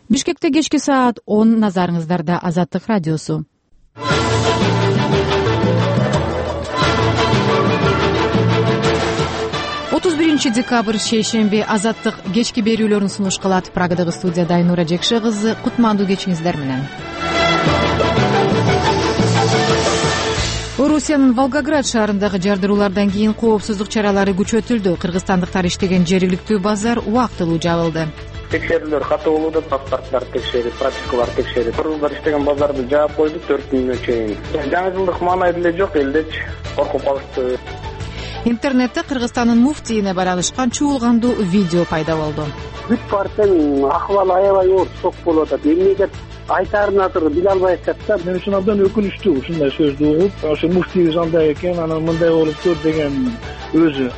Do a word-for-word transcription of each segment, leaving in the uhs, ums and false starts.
Бишкекте кечки саат он, назарыңыздарда Азаттык радиосу. отуз биринчи декабрь шейшемби Азаттык кечки берүүлөрүн сунуш кылат. Прагадагы студияда Айнура Жекше кызы, кутмандуу кечиңиздер менен. Орусиянын Волгоград шаарындагы жардыруулардан кийин коопсуздук чаралары күчөтүлдү. Кыргызстандыктар иштеген жергиликтүү базар убактылуу жабылды. Текшерүүлөр катуу болууда, паспорттарды текшерип, пропискаларды текшерип. Кыргыздар иштеген базарды жаап койдук төрт күнгө чейин. Жаңы жылдык маанай деле жок, элдеч коркуп калышты. Интернетте Кыргызстандын муфтийине байланышкан чуулгандуу видео пайда болду. Бүт партиянын акыбалы аябай оор сок болуп атат. Эмне деп айтарын азыр биле албай атат да. Мен үчүн абдан өкүнүчтүү ушундай сөздү угуп, ошо муфтийибиз андай экен, анан мындай болуптур деген өзү.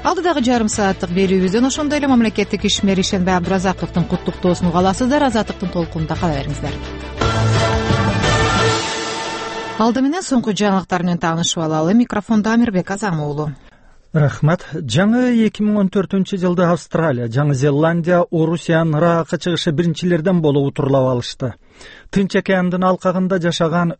Алдыдагы жарым сааттык берүүбүздөн ошондой эле мамлекеттик ишмер Ишенбай Абдыразаковдун куттуктоосун уга аласыздар. Азаттыктын толкунунда кала бериңиздер. Алды менен соңку жаңылыктар менен таанышып алалы. Микрофондо Амирбек Азам уулу. Рахмат. Жаңы эки миң он төртүнчү жылды Австралия, Жаңы Зеландия, Орусиянын Ыракка чыгышы биринчилерден болуп утурлап алышты. Тынч океандын алкагында жашаган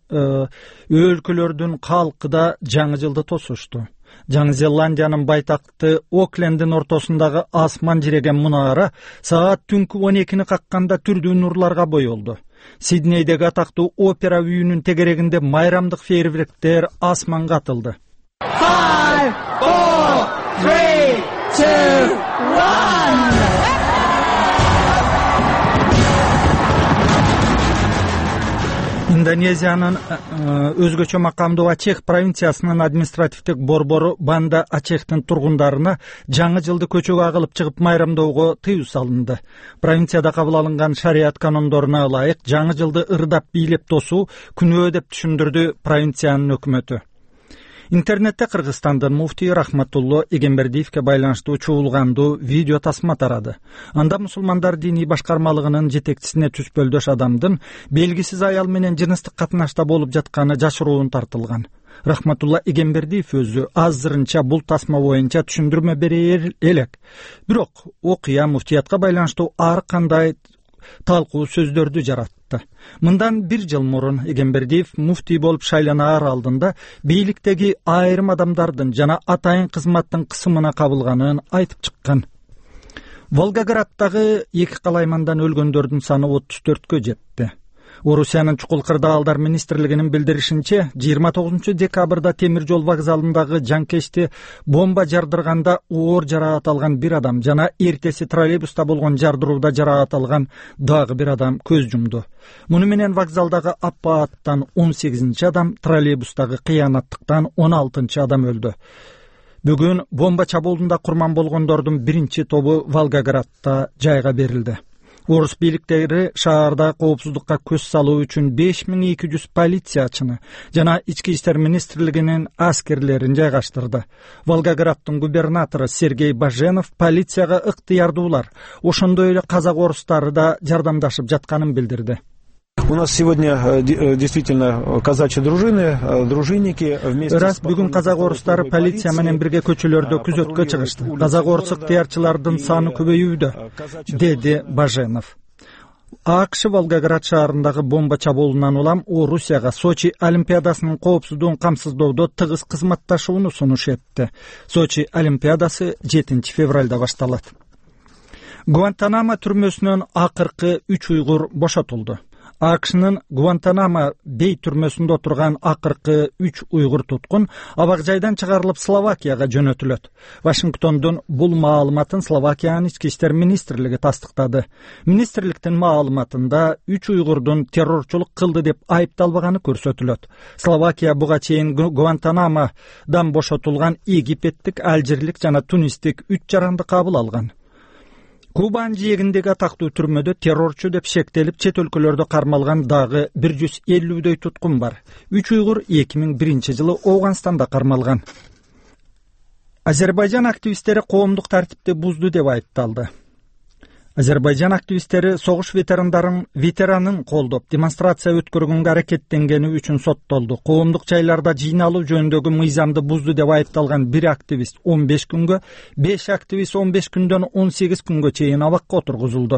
өлкөлөрдүн калкы да жаңы жылды тосушту. Жаңы Зеландиянын байтакты Оклендин ортосундагы асман жиреген мунара саат түнкү он экини какканда түрдүү нурларга боелду. Сиднейдеги атактуу опера үйүнүн тегерегинде майрамдык фейерверктер асманга атылды. five, four, three, two, one. Индонезиянын өзгөчө макамдуу Ачех провинциясынын административдик борбору Банда Ачехтин тургундарына жаңы жылды көчөгө агылып чыгып майрамдоого тыюу салынды. Провинцияда кабыл алынган шарият канондоруна ылайык жаңы жылды ырдап бийлеп тосуу күнөө деп түшүндүрдү провинциянын өкмөтү. Интернетте Кыргызстандын муфтийи Рахматулло Эгембердиевке байланыштуу чуулгандуу видео тасма тарады. Анда мусулмандар диний башкармалыгынын жетекчисине түспөлдөш адамдын белгисиз аял менен жыныстык катнашта болуп жатканы жашыруун тартылган. Рахматулла Эгембердиев өзү азырынча бул тасма боюнча түшүндүрмө бере элек. Бирок окуя муфтиятка байланыштуу ар кандай талкуу сөздөрдү жаратты. Мындан бир жыл мурун Эгембердиев муфтий болуп шайланаар алдында бийликтеги айрым адамдардын жана атайын кызматтын кысымына кабылганын айтып чыккан. Волгограддагы эки калаймандан өлгөндөрдүн саны отуз төрткө жетти. Орусиянын чукул кырдаалдар министрлигинин билдиришинче, жыйырма тогузунчу декабрда темир жол вокзалындагы жанкечти бомба жардырганда оор жараат алган бир адам жана эртеси троллейбуста болгон жардырууда жараат алган дагы бир адам көз жумду. Муну менен вокзалдагы апааттан он сегизинчи адам, троллейбустагы кыянаттыктан он алтынчы адам өлдү. Бүгүн бомба чабуулунда курман болгондордун биринчи тобу Волгоградда жайга берилди. Орус бийликтери шаарда коопсуздукка көз салуу үчүн беш миң эки жүз полициячыны жана ички иштер министрлигинин аскерлерин жайгаштырды. Волгограддын губернатору Сергей Баженов полицияга ыктыярдуулар, ошондой эле казак орустары да жардамдашып жатканын билдирди. У нас сегодня действительно казачьи дружины, дружинники вместе. Раз бүгүн казак орустары полиция менен бирге көчөлөрдө күзөткө чыгышты. Казак орус ыктыярчылардын саны көбөйүүдө, деди Баженов. АКШ Волгоград шаарындагы бомба чабуулунан улам Орусияга Сочи Олимпиадасынын коопсуздугун камсыздоодо тыгыз кызматташууну сунуш этти. Сочи Олимпиадасы жетинчи февралда башталат. Гуантанамо түрмөсүнөн акыркы үч уйгур бошотулду. АКШнын Гуантанамо бей түрмөсүндө отурган акыркы үч уйгур туткун абак жайдан чыгарылып Словакияга жөнөтүлөт. Вашингтондун бул маалыматын Словакиянын ички иштер министрлиги тастыктады. Министрликтин маалыматында үч уйгурдун террорчулук кылды деп айыпталбаганы көрсөтүлөт. Словакия буга чейин Гуантанамодан бошотулган египеттик, алжирлик жана тунистик үч жаранды кабыл алган. Кубанын жээгиндеги атактуу түрмөдө террорчу деп шектелип чет өлкөлөрдө кармалган дагы бир жүз элүүдөй туткун бар. Үч уйгур эки миң биринчи жылы Ооганстанда кармалган. Азербайжан активисттери коомдук тартипти бузду деп айыпталды. Азербайжан активисттери согуш ветерандарын ветеранын колдоп демонстрация өткөргөнгө аракеттенгени үчүн соттолду. Коомдук жайларда жыйналуу жөнүндөгү мыйзамды бузду деп айыпталган бир активист он беш күнгө, беш активист он беш күндөн он сегиз күнгө чейин абакка отургузулду.